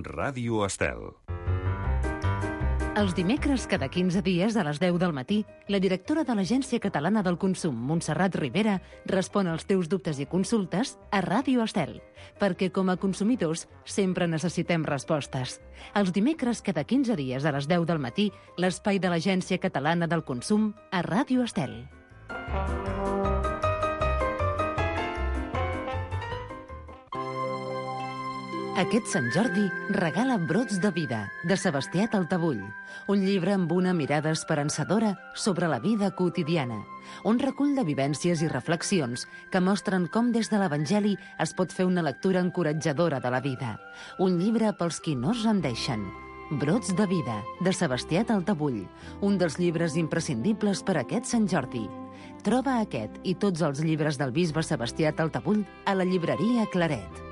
Ràdio Estel. Els dimecres, cada 15 dies, a les 10 del matí, la directora de l'Agència Catalana del Consum, Montserrat Rivera, respon als teus dubtes i consultes a Ràdio Estel, perquè com a consumidors sempre necessitem respostes. Els dimecres, cada 15 dies, a les 10 del matí, l'espai de l'Agència Catalana del Consum a Ràdio Estel. Aquest Sant Jordi regala Brots de vida, de Sebastià Taltabull, un llibre amb una mirada esperançadora sobre la vida quotidiana, un recull de vivències i reflexions que mostren com des de l'Evangeli es pot fer una lectura encoratjadora de la vida. Un llibre pels qui no es rendeixen. Brots de vida, de Sebastià Taltabull, un dels llibres imprescindibles per a aquest Sant Jordi. Troba aquest i tots els llibres del bisbe Sebastià Taltabull a la llibreria Claret.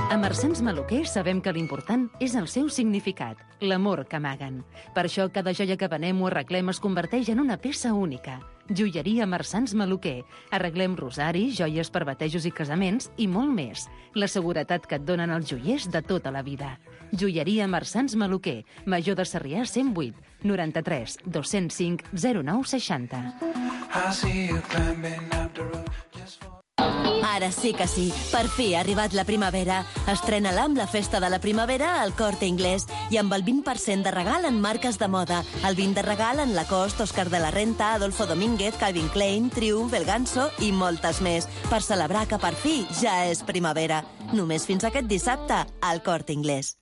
A Marsans Maluquer sabem que l'important és el seu significat, l'amor que amaguen. Per això cada joia que venem o arreglem es converteix en una peça única. Joieria Marsans Maluquer. Arreglem rosaris, joies per batejos i casaments i molt més. La seguretat que et donen els joiers de tota la vida. Joieria Marsans Maluquer. Major de Sarrià 108 93 205 09 60. Ara sí que sí, per fi ha arribat la primavera. Estrena-la amb la festa de la primavera al Corte Inglés i amb el 20% de regal en marques de moda. El 20% de regal en Lacoste, Oscar de la Renta, Adolfo Domínguez, Calvin Klein, Triumph, El Ganso i moltes més. Per celebrar que per fi ja és primavera. Només fins aquest dissabte al Corte Inglés.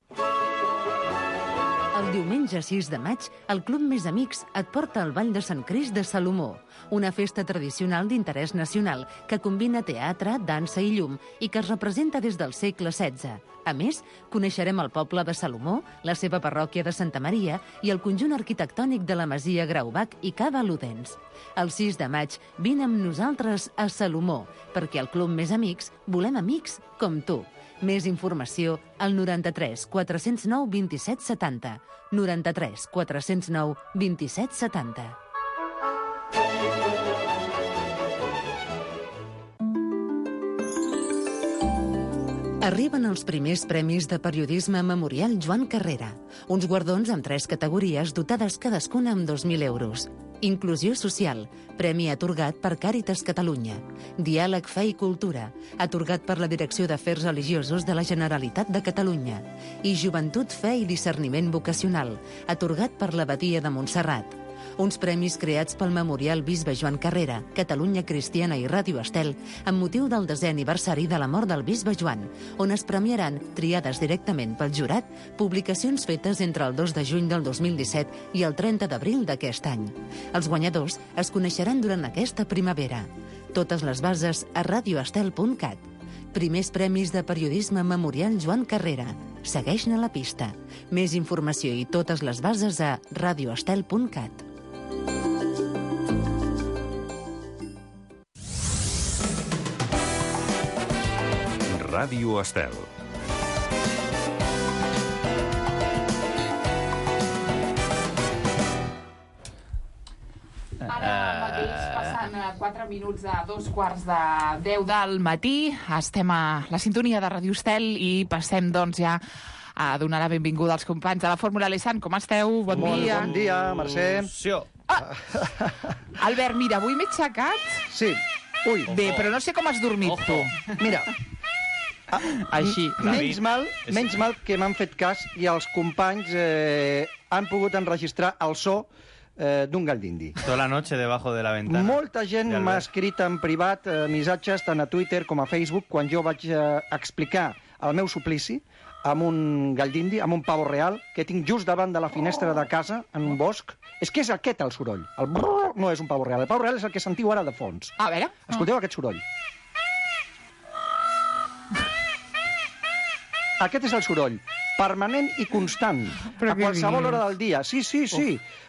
El diumenge 6 de maig, el Club Més Amics et porta al Ball de Sant Crist de Salomó, una festa tradicional d'interès nacional que combina teatre, dansa i llum i que es representa des del segle XVI. A més, coneixerem el poble de Salomó, la seva parròquia de Santa Maria i el conjunt arquitectònic de la Masia Graubach i Cava Ludens. El 6 de maig, vine amb nosaltres a Salomó, perquè al Club Més Amics volem amics com tu. Més informació al 93 409 27 70. 93 409 27 70. Arriben els primers premis de periodisme Memorial Joan Carrera, uns guardons amb 3 categories dotades cadascuna amb 2.000 euros. Inclusió social, premi atorgat per Càritas Catalunya. Diàleg, fe i cultura, atorgat per la Direcció d'Afers Religiosos de la Generalitat de Catalunya. I Joventut, fe i discerniment vocacional, atorgat per l'Abadia de Montserrat. Uns premis creats pel Memorial Bisbe Joan Carrera, Catalunya Cristiana i Ràdio Estel, amb motiu del 10è aniversari de la mort del Bisbe Joan, on es premiaran, triades directament pel jurat, publicacions fetes entre el 2 de juny del 2017 i el 30 d'abril d'aquest any. Els guanyadors es coneixeran durant aquesta primavera. Totes les bases a radioestel.cat. Primers premis de periodisme Memorial Joan Carrera. Segueix-ne la pista. Més informació i totes les bases a radioestel.cat. Ràdio Estel. Ara mateix passant 4 minuts a 2:45 del matí. Estem a la sintonia de Ràdio Estel i passem doncs ja a donar la benvinguda als companys de la Fórmula Lesan. Com esteu? Bon dia. Bon dia, Mercè. Albert, mira, avui m'he aixecat. Sí. Ui. Bé, però no sé com has dormit tu. Mira, Així. menys mal que m'han fet cas i els companys han pogut enregistrar el so d'un gall d'indi. Toda la noche debajo de la ventana. Molta gent m'ha escrit en privat missatges tant a Twitter com a Facebook quan jo vaig explicar el meu suplici amb un gall d'indi, amb un pavo real, que tinc just davant de la finestra de casa, en un bosc. És que és aquest el soroll. El brrr no és un pavo real. El pavo real és el que sentiu ara de fons. A veure. Escolteu aquest soroll. Aquest és el soroll, permanent i constant, a qualsevol hora del dia. Sí.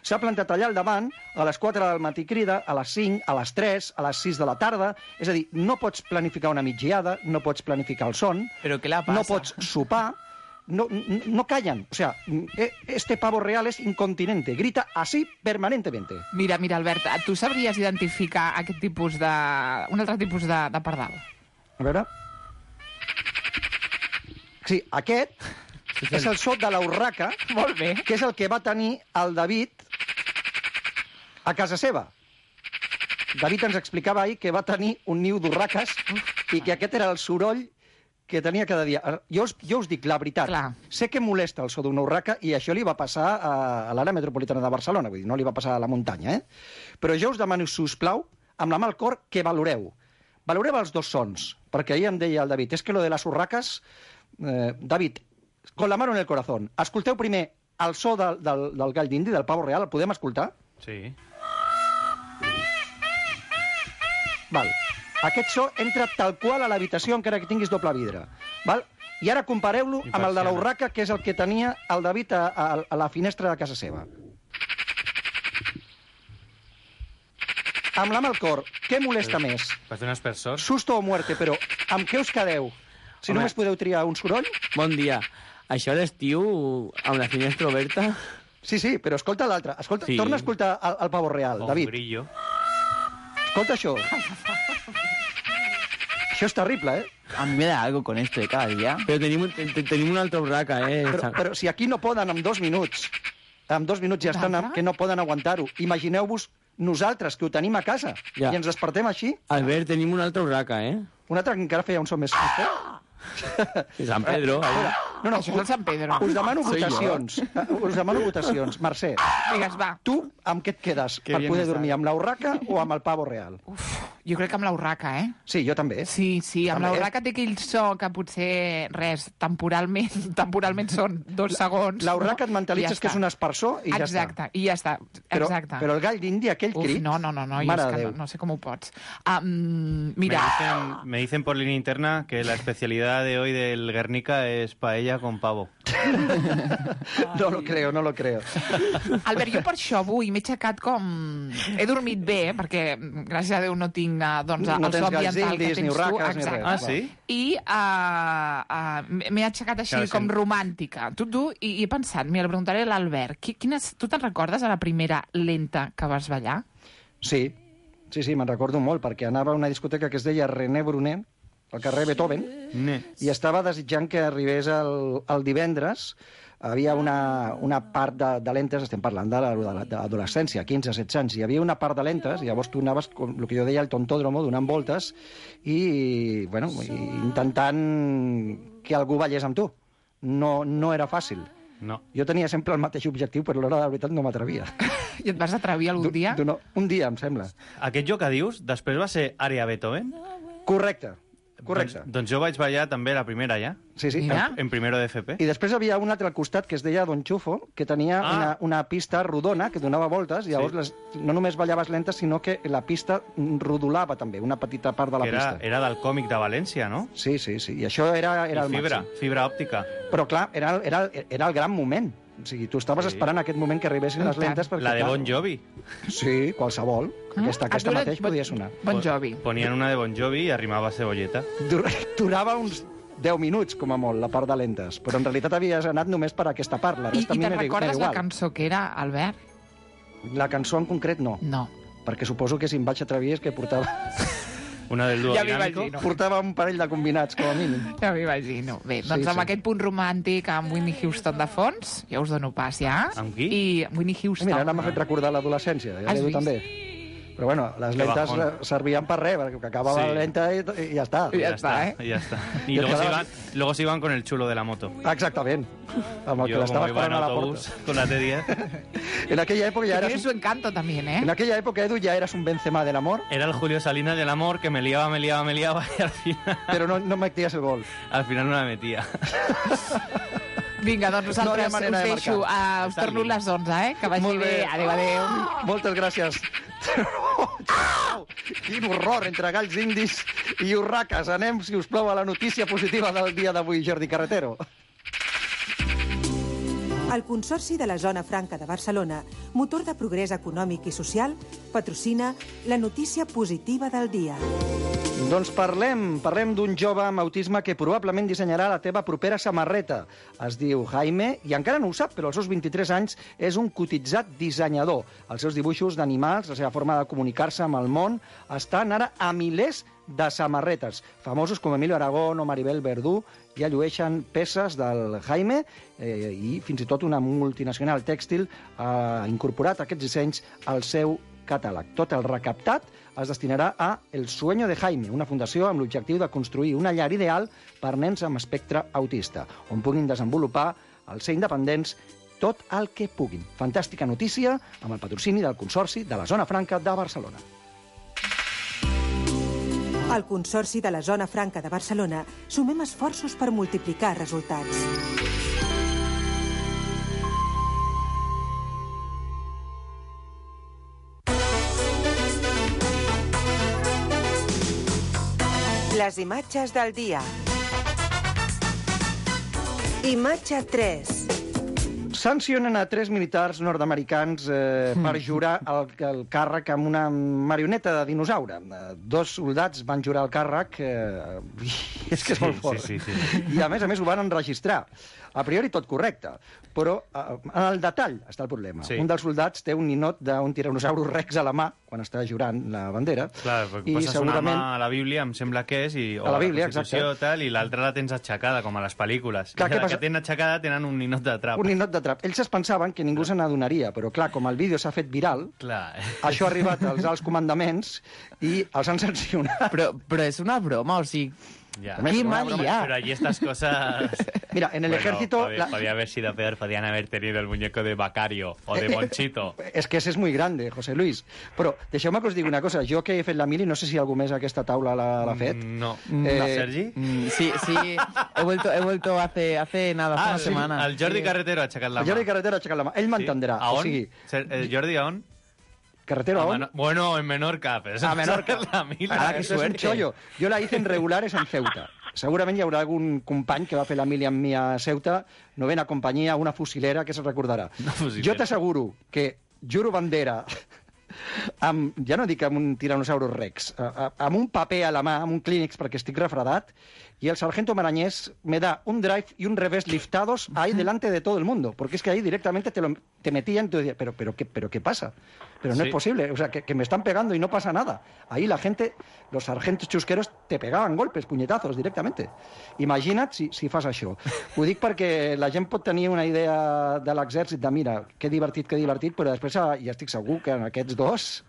S'ha plantat allà al davant, a les 4 del matí crida, a les 5, a les 3, a les 6 de la tarda. És a dir, no pots planificar una migdiada, no pots planificar el son, Però què la passa? no pots sopar, no callan. O sea, este pavo real es incontinente, grita así permanentemente. Mira, Albert, tu sabries identificar aquest tipus de... un altre tipus de pardal? A veure... Sí, aquest és el so de l'urraca, Molt bé. que és el que va tenir el David a casa seva. David ens explicava ahir que va tenir un niu d'urraques i que aquest era el soroll que tenia cada dia. Jo us dic la veritat. Clar. Sé que molesta el so d'una urraca i això li va passar a l'àrea metropolitana de Barcelona, vull dir, no li va passar a la muntanya, Però jo us demano, si us plau, amb la mà al cor, que valoreu. Valoreu els dos sons, perquè ahir em deia el David, és que lo de les urraques... David, con la mano en el corazón, escolteu primer el so del gall d'indi, del pavo real, el podem escoltar? Sí. Val. Aquest so entra tal qual a l'habitació encara que tinguis doble vidre. Val? I ara compareu-lo amb el de l'urraca, que és el que tenia el David a la finestra de casa seva. Amb la mà al cor, què molesta més? Parece un aspersor. Susto o muerte, però amb què us quedeu? Si Home. només podeu triar un soroll? Bon dia. Això a l'estiu, amb la finestra oberta... Sí, però escolta l'altre. Escolta, Sí. Torna a escoltar el pavo real, O David. un grillo. Escolta això. Això és terrible, A mí me da algo con esto de cada día. Però tenim una altra urraca, Però si aquí no poden en 2 minuts. En 2 minuts ja estan que no poden aguantar-ho. Imagineu-vos nosaltres, que ho tenim a casa, Ja. i ens despertem així. Albert, tenim una altra urraca, Un altre que encara feia un so més fort. San Pedro. No, Això és el Sant Pedro. us demano Soy yo. votacions. Us demano votacions. Mercè, Digues, va. tu amb què et quedes? Que Per bien poder está. dormir, amb la urraca o amb el pavo real? Jo crec que amb l'urraca, Sí, jo també. Sí, amb També. l'urraca té aquell so que potser, temporalment són 2 segons. La urraca et mentalitzes I ja que és està. un aspersor i ja està. Exacte, i ja està. Exacte. Però el gall d'indi, aquell crit... No, jo Mare és de que Déu. no sé com ho pots. Mira, Me dicen por línea interna que la especialidad de hoy del Guernica es paella con pavo. No lo creo. Albert, jo per això avui m'he aixecat com... He dormit bé, perquè gràcies a Déu no tinc doncs, No el tens so galls ambiental que indis, ni tens tu. urraques, ni Exacte. res. Ah, sí? I m'he aixecat així Claro, com sí. romàntica. Tu, i he pensat, mira, li preguntaré a l'Albert, tu te'n recordes de la primera lenta que vas ballar? Sí, me'n recordo molt, perquè anava a una discoteca que es deia René Brunet, al carrer Beethoven, i estava desitjant que arribés el divendres. Havia una part de lentes, estem parlant de l'adolescència, 15-16 anys, hi havia una part de lentes, i llavors tu anaves, com el que jo deia, al tontòdromo, donant voltes, i intentant que algú ballés amb tu. No era fàcil. No. Jo tenia sempre el mateix objectiu, però a l'hora de la veritat no m'atrevia. I et vas atrevir algun dia? Un dia, em sembla. Aquest joc que dius, després va ser Àrea Beethoven? Correcte. Doncs jo vaig ballar també la primera ja, Sí. Mira. en primero de FP. I després havia un altre al costat que es deia Don Chufo, que tenia una pista rodona que donava voltes, i llavors no només ballaves lentes, sinó que la pista rodolava també, una petita part de la Que pista. era del còmic de València, no? Sí, i això era I el fibra, màxim. fibra òptica. Però clar, era el gran moment. O sigui, tu estaves esperant aquest moment que arribessin les lentes perquè... La de clar, Bon Jovi. Sí, qualsevol. Aquesta mateix podia sonar. Bon Jovi. Ponien una de Bon Jovi i arrimava cebolleta. Durava uns 10 minuts, com a molt, la part de lentes, però en realitat havies anat només per aquesta part. La I resta a mi te'n m'era recordes la igual. cançó que era, Albert? La cançó en concret no, No. perquè suposo que si em vaig atrevir és que portava Una del dúo Ja m'hi dinámico. imagino. portava un parell de combinats, com a mínim. Ja m'imagino. Bé, doncs Sí, amb sí. aquest punt romàntic amb Whitney Houston de fons, ja us dono pas, ja. Amb qui? I Whitney Houston. Mira, ara m'ha fet recordar l'adolescència, ja Has l'Edu vist? també. Però bueno, les Que lentes bajón. servien per res, perquè acabava Sí. la lenta i ja està. Ja Ya está, está, ya está. Y Ya luego está. luego se iban con el chulo de la moto. Exactament. Amb el que Yo, l'estava como iba en esperant a la autobús porta. con la T10, En aquella època ja Tiene eres... su encanto también, ¿eh? En aquella època, Edu, ja eres un Benzema del amor, era el Julio Salinas del amor que me liaba y però no metías el gol. al final no la metía. Vinga, doncs No hi ha nosaltres manera us de deixo. marcar. Us torno les 11, Que vagi Molt bé. bé. Adéu, adéu. Moltes gràcies. Quin horror entre galls indis i urraques. Anem, si us plau, a la notícia positiva del dia d'avui, Jordi Carretero. El Consorci de la Zona Franca de Barcelona, motor de progrés econòmic i social, patrocina la notícia positiva del dia. Doncs parlem d'un jove amb autisme que probablement dissenyarà la teva propera samarreta. Es diu Jaime i encara no ho sap, però als seus 23 anys és un cotitzat dissenyador. Els seus dibuixos d'animals, la seva forma de comunicar-se amb el món, estan ara a milers de samarretes. Famosos com Emilio Aragón o Maribel Verdú ja llueixen peces del Jaime i fins i tot una multinacional tèxtil ha incorporat aquests dissenys al seu catàleg. Tot el recaptat es destinarà a El Sueño de Jaime, una fundació amb l'objectiu de construir una llar ideal per nens amb espectre autista, on puguin desenvolupar, al ser independents, tot el que puguin. Fantàstica notícia amb el patrocini del Consorci de la Zona Franca de Barcelona. Al Consorci de la Zona Franca de Barcelona sumem esforços per multiplicar resultats. Les imatges del dia. Imatge 3. Sancionen a 3 militars nord-americans per jurar el càrrec amb una marioneta de dinosaure. 2 soldats van jurar el càrrec, és que és molt fort. Sí. I a més ho van enregistrar. A priori tot correcte, però en el detall està el problema. Sí. Un dels soldats té un ninot d'un tiranosaurus rex a la mà quan està jurant la bandera. Clar, perquè poses segurament una mà a la Bíblia, em sembla que és, o a la Bíblia, Constitució, tal, i l'altra la tens aixecada, com a les pel·lícules. Clar, la que tenen aixecada tenen un ninot de trap. Un ninot de trap. Ells es pensaven que ningú se n'adonaria, però clar, com el vídeo s'ha fet viral, això ha arribat als alts comandaments i els han sancionat. Però és una broma, o sigui... Ya. ¡Qué mal ya! Pero allí estas cosas... Mira, en el ejército... Podía haber sido peor, podían haber tenido el muñeco de Bacario o de Monchito. És que ese és muy grande, José Luis. Però deixeu-me que us digui una cosa. Jo que he fet la mili, no sé si algú més aquesta taula l'ha fet. No. ¿Sergi? Sí, he vuelto hace nada, hace una semana. El Jordi Carretero ha aixecat la mà. El Jordi Carretero ha aixecat la mà. Ell m'entendrà. ¿A on? O sigui... ¿El Jordi a on? ¿Carretero a on? Bueno, en Menorca. Pero a Menorca. La mili. Qué suerte. Es un chollo. Jo la hice en regulares en Ceuta. Segurament hi haurà algun company que va fer la mili amb mi a Ceuta, novena companyia, una fusilera, que se'n recordarà. Jo t'asseguro que juro bandera, ja no dic amb un tiranosaurus rex, amb un paper a la mà, amb un Kleenex perquè estic refredat, y el sargento Marañés me da un drive y un revés liftados ahí delante de todo el mundo, porque es que ahí directamente te metían y tú decías, pero ¿qué pasa? Pero no es posible, o sea, que me están pegando y no pasa nada. Ahí la gente, los sargentos chusqueros, te pegaven golpes, punyetazos, directamente. Imagina't si fas això. Ho dic perquè la gent pot tenir una idea de l'exèrcit de, mira, que divertit, però després ja estic segur que en aquests dos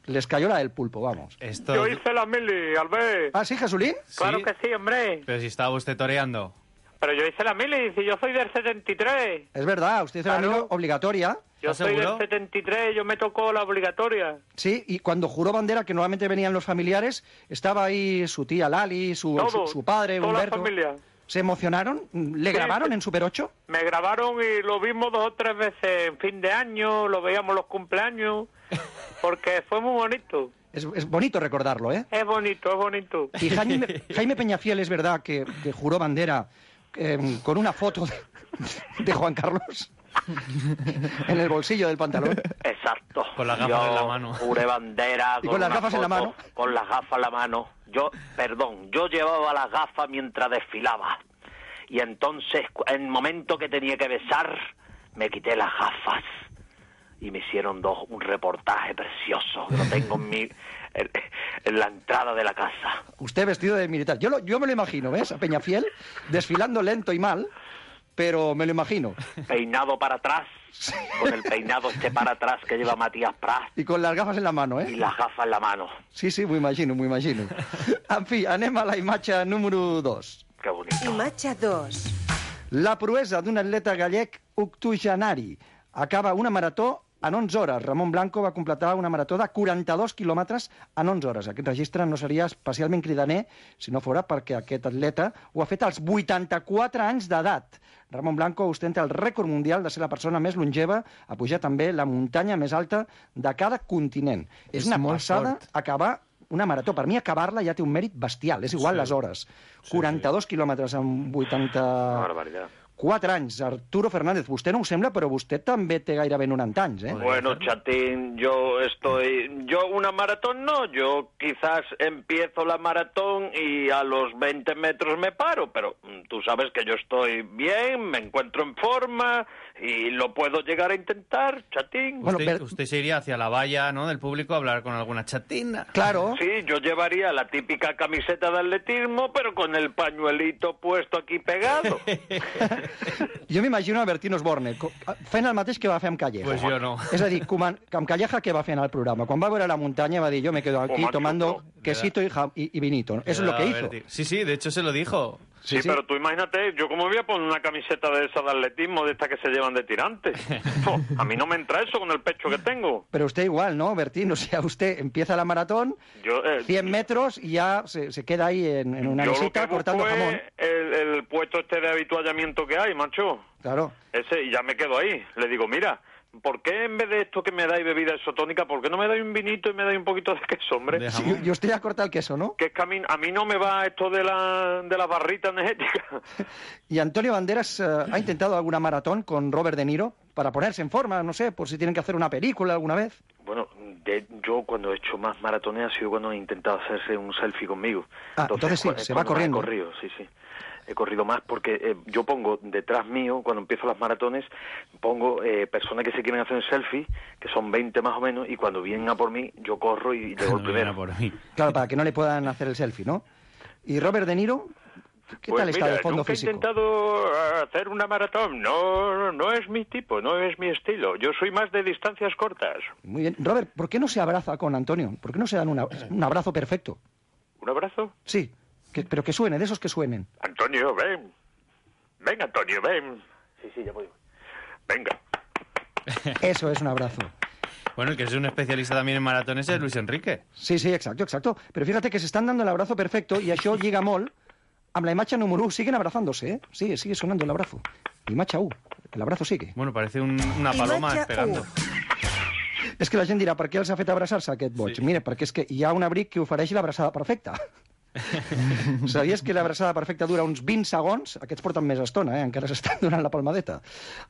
les cayó la del pulpo, vamos. Yo hice la mili, Albert. ¿Ah, sí, Jesulín? Claro que sí, hombre. Pero si estaba usted toreando. Pero yo hice la mili, si yo soy del 73. Es verdad, usted hizo la mili obligatoria. Yo soy del 73, yo me tocó la obligatoria. Sí, y cuando juró bandera, que normalmente venían los familiares, estaba ahí su tía Lali, su padre, toda Humberto. La familia. ¿Se emocionaron? ¿Le grabaron en Super 8? Me grabaron y lo vimos 2 o 3 veces en fin de año, lo veíamos los cumpleaños, porque fue muy bonito. Es bonito recordarlo, ¿eh? Es bonito, es bonito. Y Jaime Peñafiel, es verdad que juró bandera con una foto de Juan Carlos en el bolsillo del pantalón. Exacto. Con las gafas en la mano. Juré bandera. ¿Y con las gafas en la mano? Con las gafas en la mano. Yo llevaba las gafas mientras desfilaba. Y entonces, en el momento que tenía que besar, me quité las gafas. Y me hicieron un reportaje precioso, que lo tengo en la entrada de la casa. Usted vestido de militar. Yo me lo imagino, ¿ves? A Peñafiel desfilando lento y mal, pero me lo imagino. Peinado para atrás, con el peinado para atrás que lleva Matías Prats. Y con las gafas en la mano, ¿eh? Y las gafas en la mano. Sí, m'ho imagino. En fi, anem a la imatge número 2. Que bonito. Imatge 2. La proesa d'un atleta gallec octogenari. Acaba una marató en 11 hores. Ramon Blanco va completar una marató de 42 quilòmetres en 11 hores. Aquest registre no seria especialment cridaner si no fora perquè aquest atleta ho ha fet als 84 anys d'edat. Ramon Blanco ostenta el rècord mundial de ser la persona més longeva a pujar també la muntanya més alta de cada continent. És una passada acabar una marató. Per mi, acabar-la ja té un mèrit bestial. És igual les hores. 42 quilòmetres en 84 4 anys. Arturo Fernández, vostè no ho sembla, però vostè també té gairebé 90 anys, ¿eh? Bueno, chatín, yo una maratón no, yo quizás empiezo la maratón y a los 20 metros me paro, pero tú sabes que yo estoy bien, me encuentro en forma y lo puedo llegar a intentar, chatín. Bueno, usted se iría hacia la valla, ¿no?, del público a hablar con alguna chatina. Claro. Sí, yo llevaría la típica camiseta de atletismo, pero con el pañuelito puesto aquí pegado. Jo m'imagino a Bertín Osborne fent el mateix que va fer amb Calleja. Pues yo no. És a dir, amb Calleja què va fer en el programa? Quan va veure la muntanya va dir, yo me quedo aquí tomando quesito y vinito. Eso es lo que hizo. Sí, de hecho se lo dijo. Sí, pero tú imagínate, yo como voy a poner una camiseta de esa de atletismo, de esta que se llevan de tirantes. A mí no me entra eso con el pecho que tengo. Pero usted igual, ¿no, Bertín? O sea, usted empieza la maratón, 100 metros y ya se queda ahí en una mesita cortando jamón. El puesto este de habituallamiento que hay, macho. Claro. Ese, y ya me quedo ahí. Le digo, mira, ¿por qué en vez de esto que me dais bebida isotónica, por qué no me dais un vinito y me dais un poquito de queso, hombre? Sí, y usted ya corta el queso, ¿no? Que es que a mí no me va esto de la barrita energética. Y Antonio Banderas ha intentado alguna maratón con Robert De Niro para ponerse en forma, no sé, por si tienen que hacer una película alguna vez. Bueno, yo cuando he hecho más maratones ha sido cuando he intentado hacerse un selfie conmigo. Entonces sí, se va corriendo. He corrido, sí. He corrido más porque yo pongo detrás mío, cuando empiezo las maratones, pongo personas que se quieren hacer un selfie, que son 20 más o menos, y cuando vienen a por mí, yo corro y llego el primero. Claro, para que no le puedan hacer el selfie, ¿no? ¿Y Robert De Niro? ¿Qué tal está de fondo físico? He intentado hacer una maratón. No es mi tipo, no es mi estilo. Yo soy más de distancias cortas. Muy bien. Robert, ¿por qué no se abraza con Antonio? ¿Por qué no se dan un abrazo perfecto? ¿Un abrazo? Sí. Pero que suene, de esos que suenen. Antonio, ven. Ven, Antonio, ven. Sí, ya voy. Venga. Eso es un abrazo. Bueno, el que es un especialista también en maratones es Luis Enrique. Sí, exacto. Pero fíjate que se están dando el abrazo perfecto y això lliga molt amb la imatge número 1. Siguen abrazándose, ¿eh? Sigue sonando el abrazo. Imatge 1. El abrazo sigue. Bueno, parece una paloma esperando. És que la gent dirà, per què els ha fet abraçar-se aquest boig? Sí. Mira, perquè és que hi ha un abric que ofereix l'abraçada perfecta. Sabies que l'abraçada perfecta dura uns 20 segons? Aquests porten més estona, encara s'estan donant la palmadeta.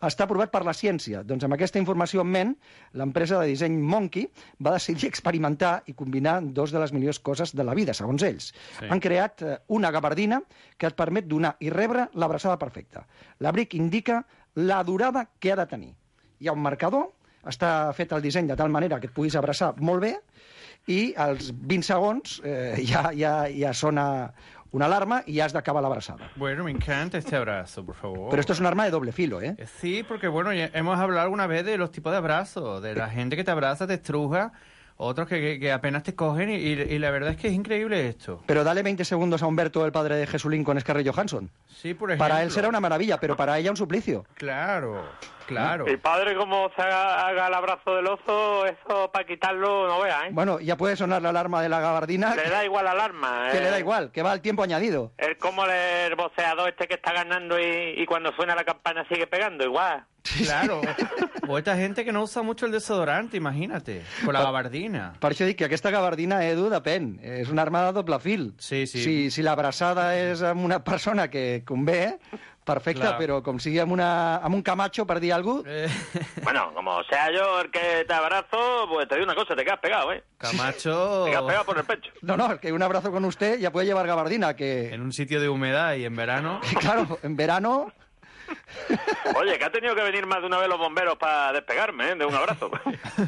Està aprovat per la ciència. Doncs amb aquesta informació en ment, l'empresa de disseny Monkey va decidir experimentar i combinar dos de les millors coses de la vida, segons ells. Sí. Han creat una gabardina que et permet donar i rebre l'abraçada perfecta. L'abric indica la durada que ha de tenir. Hi ha un marcador, està fet el disseny de tal manera que et puguis abraçar molt bé, i als 20 segons ja sona una alarma y ya has de acabar la abraçada. Bueno, me encanta este abrazo, por favor. Pero esto es un arma de doble filo, ¿eh? Sí, porque bueno, ya hemos hablado alguna vez de los tipos de abrazos, de la gente que te abraza, te estruja, otros que apenas te cogen y la verdad es que es increíble esto. Pero dale 20 segundos a Humberto, el padre de Jesulín, con Scarlett Johansson. Sí, por ejemplo. Para él será una maravilla, pero para ella un suplicio. Claro. El padre, como se haga el abrazo del oso, eso para quitarlo no vea, ¿eh? Bueno, ya puede sonar la alarma de la gabardina. Le da igual la alarma. Que le da igual, que va al tiempo añadido. Es como el boxeador este que está ganando y cuando suena la campana sigue pegando, igual. Claro. O esta gente que no usa mucho el desodorante, imagínate, con la gabardina. Per això dic que aquesta gabardina, Edu, depèn. És una arma de doble fil. Sí. Si l'abraçada és amb una persona que convé, perfecte, claro. Però com sigui amb un Camacho, per dir alguna cosa... Bueno, como sea yo el que te abrazo, pues te digo una cosa, te quedas pegado, ¿eh? Camacho... Te quedas pegado por el pecho. No, es que un abrazo con usted ya puede llevar gabardina, que... En un sitio de humedad y en verano... Claro, en verano... Oye, que ha tenido que venir más de una vez los bomberos para despegarme, de un abrazo.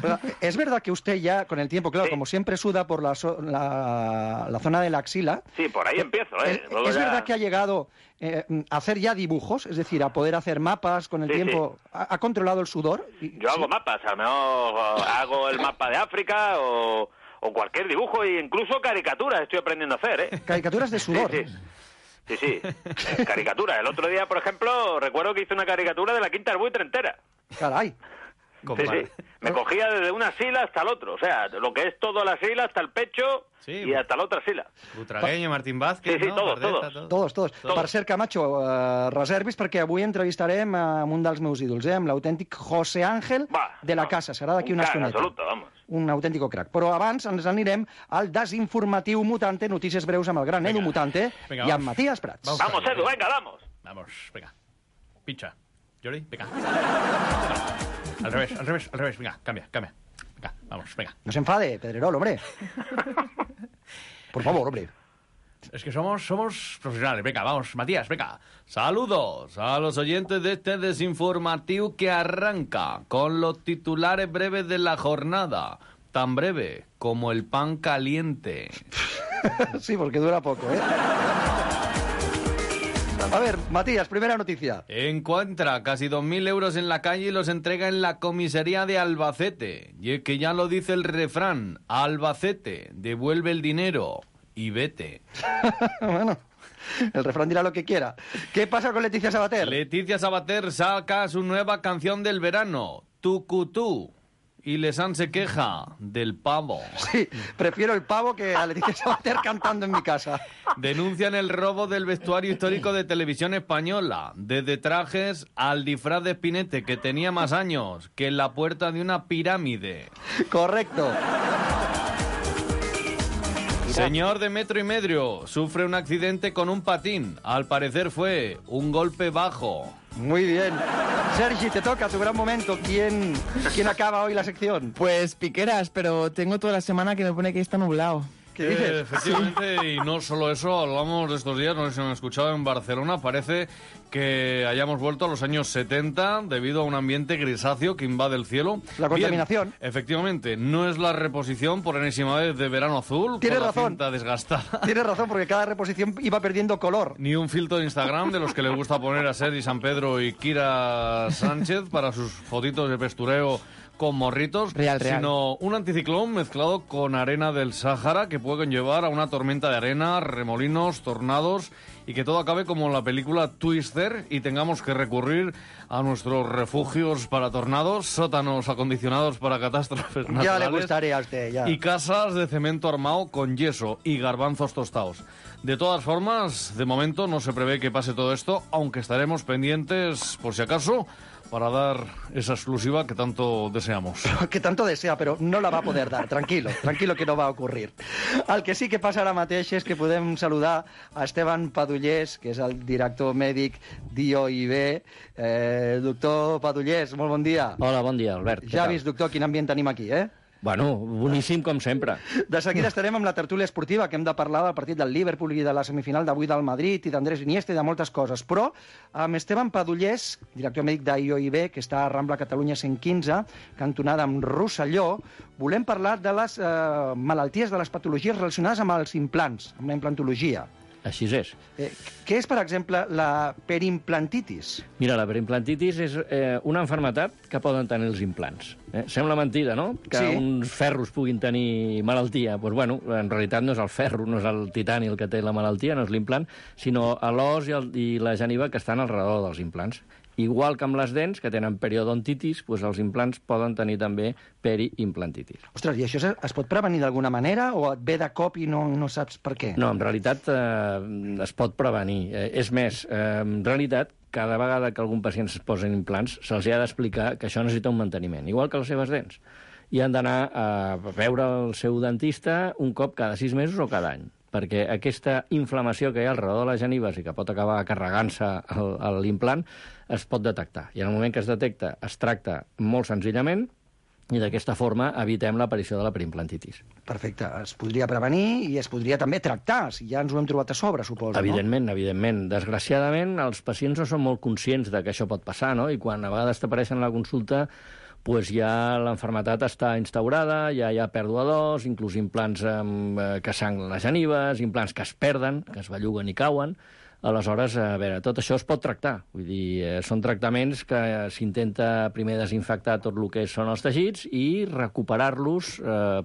Pero es verdad que usted ya, con el tiempo, claro, sí. Como siempre suda por la zona de la axila... Sí, por ahí empiezo, ¿eh? ¿Es verdad que ha llegado a hacer ya dibujos? Es decir, a poder hacer mapas con el tiempo... Sí. ¿Ha controlado el sudor? Yo hago mapas, a lo mejor hago el mapa de África o cualquier dibujo, e incluso caricaturas estoy aprendiendo a hacer, ¿eh? ¿Caricaturas de sudor? Sí. Caricatura. El otro día, por ejemplo, recuerdo que hice una caricatura de la Quinta del Buitre entera. Caray. Sí. Me cogía desde una sila hasta el otro. O sea, lo que es toda la sila hasta el pecho y hasta la otra sila. Butragueño, Martín Vázquez... Sí, no? todos. Per cert, Camacho, reservis perquè avui entrevistarem amb un dels meus ídols, amb l'autèntic José Ángel de la Casa. Serà d'aquí una estoneta. Absoluto, vamos. Un autèntico crac. Però abans ens anirem al desinformatiu Mutante, notícies breus amb el gran Edu Mutante i amb Matías Prats. Vamos, Edu, venga, vamos. Vamos, venga. Pincha. Jordi, venga. Al revés, venga, cambia. Venga, vamos, venga. No se enfade, Pedrerol, hombre. Por favor, hombre. Es que somos profesionales. Venga, vamos, Matías, venga. Saludos a los oyentes de este desinformativo que arranca con los titulares breves de la jornada. Tan breve como el pan caliente. Sí, porque dura poco, ¿eh? A ver, Matías, primera noticia. Encuentra casi 2.000 euros en la calle y los entrega en la comisaría de Albacete. Y es que ya lo dice el refrán, Albacete, devuelve el dinero y vete. Bueno, el refrán dirá lo que quiera. ¿Qué pasa con Leticia Sabater? Leticia Sabater saca su nueva canción del verano, Tucutú. Y Lesan se queja del pavo. Sí, prefiero el pavo que a Leticia Sabater cantando en mi casa. Denuncian el robo del vestuario histórico de Televisión Española. Desde trajes al disfraz de Spinete, que tenía más años que en la puerta de una pirámide. Correcto. Señor de metro y medio sufre un accidente con un patín. Al parecer fue un golpe bajo. Muy bien. Sergi, te toca tu gran momento. ¿Quién acaba hoy la sección? Pues Piqueras, pero tengo toda la semana que me pone que está nublado. ¿Qué dices? Efectivamente, sí. Y no solo eso, hablamos de estos días, no sé si me han escuchado, en Barcelona parece que hayamos vuelto a los años 70 debido a un ambiente grisáceo que invade el cielo. La contaminación. Bien, efectivamente, no es la reposición por enésima vez de Verano Azul. Tienes con razón. La cinta desgastada. Tienes razón, porque cada reposición iba perdiendo color. Ni un filtro de Instagram de los que le gusta poner a Sergi San Pedro y Kira Sánchez para sus fotitos de pestureo con morritos, real. Sino un anticiclón mezclado con arena del Sáhara que puede conllevar a una tormenta de arena, remolinos, tornados y que todo acabe como en la película Twister y tengamos que recurrir a nuestros refugios para tornados, sótanos acondicionados para catástrofes naturales. Ya le gustaría a usted, ya. Y casas de cemento armado con yeso y garbanzos tostados. De todas formas, de momento no se prevé que pase todo esto, aunque estaremos pendientes, por si acaso, para dar esa exclusiva que tanto deseamos. Que tanto desea, però no la va poder dar. Tranquilo que no va ocurrir. El que sí que passa ara mateix és que podem saludar a Esteban Padullés, que és el director mèdic d'IOIB. Doctor Padullés, molt bon dia. Hola, bon dia, Albert. Ja has vist, doctor, quin ambient tenim aquí, eh? Bueno, boníssim com sempre. De seguida estarem amb la tertúlia esportiva, que hem de parlar del partit del Liverpool i de la semifinal d'avui del Madrid i d'Andrés Iniesta i de moltes coses. Però amb Esteban Padullés, director mèdic d'IOIB, que està a Rambla Catalunya 115, cantonada amb Rosselló, volem parlar de les malalties, de les patologies relacionades amb els implants, amb la implantologia. Així és. Què és, per exemple, la perimplantitis? Mira, la perimplantitis és una malaltia que poden tenir els implants. Sembla mentida, no?, que sí, uns ferros puguin tenir malaltia. Doncs, bueno, en realitat no és el ferro, no és el titani el que té la malaltia, no és l'implant, sinó l'os i la geniva que estan al redor dels implants. Igual que amb les dents, que tenen periodontitis, doncs els implants poden tenir també periimplantitis. Ostres, i això es pot prevenir d'alguna manera o et ve de cop i no saps per què? No, en realitat es pot prevenir. És més, en realitat, cada vegada que algun pacient es posa implants, se'ls ha d'explicar que això necessita un manteniment, igual que les seves dents. I han d'anar a veure el seu dentista un cop cada 6 mesos o cada any, perquè aquesta inflamació que hi ha al redor de les genives i que pot acabar carregant-se l'implant es pot detectar. I en el moment que es detecta, es tracta molt senzillament i d'aquesta forma evitem l'aparició de la perimplantitis. Perfecte. Es podria prevenir i es podria també tractar, si ja ens ho hem trobat a sobre, suposo, evidentment, no? Evidentment. Desgraciadament, els pacients no són molt conscients de que això pot passar, no? I quan a vegades t'apareixen a la consulta, pues ja l'enfermetat està instaurada, ja hi ha pèrdua d'os, inclús implants que sangren les genives, implants que es perden, que es belluguen i cauen. Aleshores, a veure, tot això es pot tractar. Vull dir, són tractaments que s'intenta primer desinfectar tot el que són els teixits i recuperar-los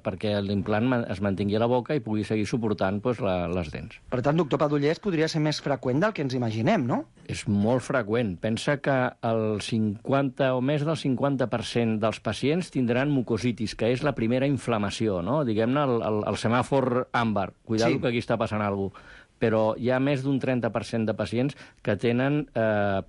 perquè l'implant es mantingui a la boca i pugui seguir suportant les dents. Per tant, doctor Padullés, podria ser més freqüent del que ens imaginem, no? És molt freqüent. Pensa que el 50 o més del 50% dels pacients tindran mucositis, que és la primera inflamació, no? Diguem-ne, el semàfor àmbar. Cuidado, sí, que aquí està passant alguna cosa. Però hi ha més d'un 30% de pacients que tenen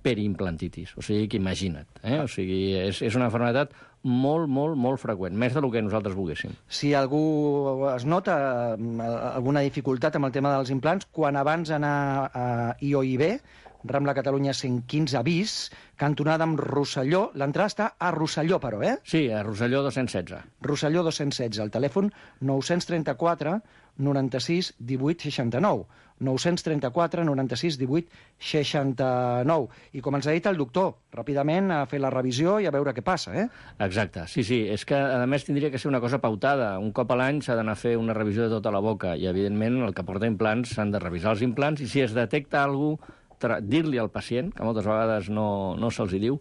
periimplantitis. O sigui, que imagina't. O sigui, és una malaltia molt, molt, molt freqüent, més del que nosaltres volguéssim. Si algú es nota alguna dificultat amb el tema dels implants, quan abans d'anar a IOIB, Rambla Catalunya 115 bis, cantonada amb Rosselló. L'entrada està a Rosselló, però, eh? Sí, a Rosselló 216. Rosselló 216, el telèfon 934 96 18 69. 934 96 18 69. I com ens ha dit el doctor, ràpidament a fer la revisió i a veure què passa, eh? Exacte, sí. És que, a més, tindria que ser una cosa pautada. Un cop a l'any s'ha d'anar a fer una revisió de tota la boca i, evidentment, el que porta implants s'han de revisar els implants i si es detecta alguna cosa, dir-li al pacient, que moltes vegades no se'ls hi diu,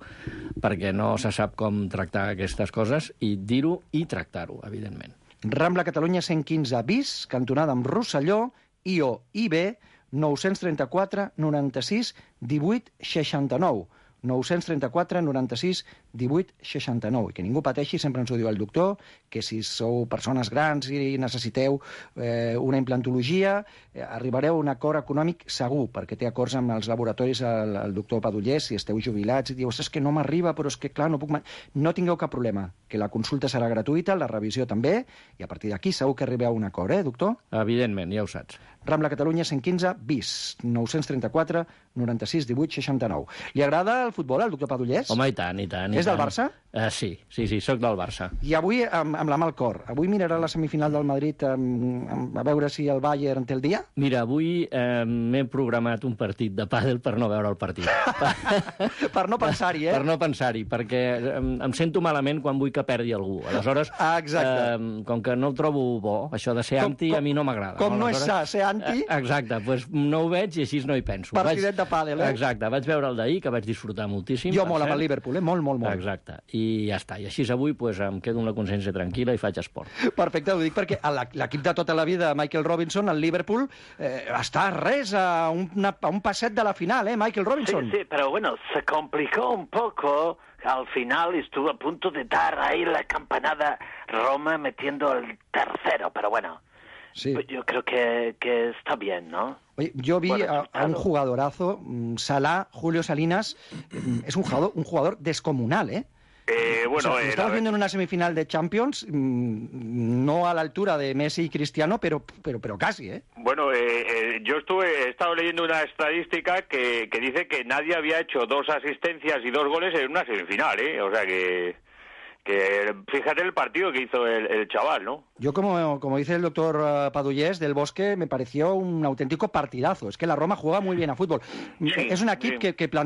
perquè no se sap com tractar aquestes coses, i dir-ho i tractar-ho, evidentment. Rambla Catalunya 115 bis, cantonada amb Rosselló, IB 934 96 18 69. 934 96 18 69. I que ningú pateixi, sempre ens ho diu el doctor, que si sou persones grans i necessiteu una implantologia, arribareu a un acord econòmic segur, perquè té acords amb els laboratoris el doctor Padullés, si esteu jubilats i diu, és que no m'arriba, però és que clar, no puc... No tingueu cap problema, que la consulta serà gratuïta, la revisió també, i a partir d'aquí segur que arribeu a un acord, doctor? Evidentment, ja ho saps. Rambla Catalunya 115 bis, 934 96 18 69. Li agrada el futbol al doctor Padullés? Home, i tant. És del Barça? Sí, soc del Barça. I avui, amb la mà al cor, avui mirarà la semifinal del Madrid a veure si el Bayern té el dia? Mira, avui m'he programat un partit de pàdel per no veure el partit. Per no pensar-hi, eh? Per no pensar-hi, perquè em sento malament quan vull que perdi algú. Aleshores, com que no el trobo bo, això de ser anti a mi no m'agrada. Com no és sa, ser anti... Exacte, doncs no ho veig i així no hi penso. Partidet de pàdel, eh? Exacte, vaig veure el d'ahir, que vaig disfrutar moltíssim. Jo molt amb el Liverpool, molt, molt, molt. Exacte, i ja està. I així avui em quedo amb la consciència tranquil·la i faig esport. Perfecte, ho dic perquè l'equip de tota la vida, Michael Robinson, el Liverpool, està res a un passet de la final, Michael Robinson? Sí, pero bueno, se complicó un poco. Al final estuvo a punto de dar ahí la campanada Roma metiendo el tercero, pero bueno. Sí. Yo creo que está bien, ¿no? Oye, yo vi a un jugadorazo, Salah, Julio Salinas, es un jugador descomunal, ¿eh? Estamos viendo en una semifinal de Champions, no a la altura de Messi y Cristiano, pero casi, ¿eh? Bueno, yo he estado leyendo una estadística que dice que nadie había hecho 2 asistencias y 2 goles en una semifinal, ¿eh? O sea que fíjate el partido que hizo el chaval, ¿no? Yo, como dice el doctor Padullés del Bosque, me pareció un auténtico partidazo. Es que la Roma juega muy bien a fútbol. Sí, es un equipo que plantea